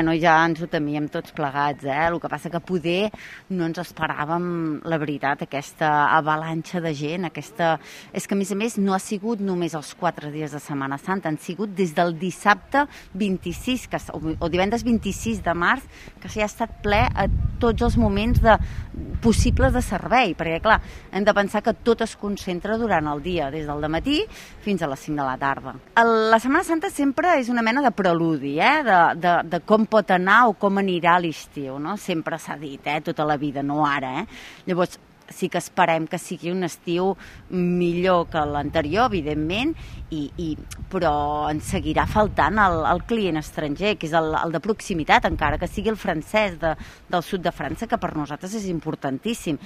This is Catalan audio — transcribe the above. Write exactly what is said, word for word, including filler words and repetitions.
Bueno, ja ens ho temíem tots plegats, eh? El que passa que poder no ens esperàvem, la veritat, aquesta avalanxa de gent, aquesta... És que, a més a més, no ha sigut només els quatre dies de Setmana Santa, han sigut des del dissabte vint-i-sis, que, o divendres vint-i-sis de març, que ja ha estat ple a tots els moments de, possibles de servei, perquè, clar, hem de pensar que tot es concentra durant el dia, des del dematí fins a les cinc de la tarda. El, la Setmana Santa sempre és una mena de preludi, eh? de, de, de com pot anar o com anirà l'estiu, no? Sempre s'ha dit, eh? Tota la vida, no ara. Eh? Llavors, sí que esperem que sigui un estiu millor que l'anterior, evidentment, i, i, però ens seguirà faltant el, el client estranger, que és el, el de proximitat, encara que sigui el francès de, del sud de França, que per nosaltres és importantíssim.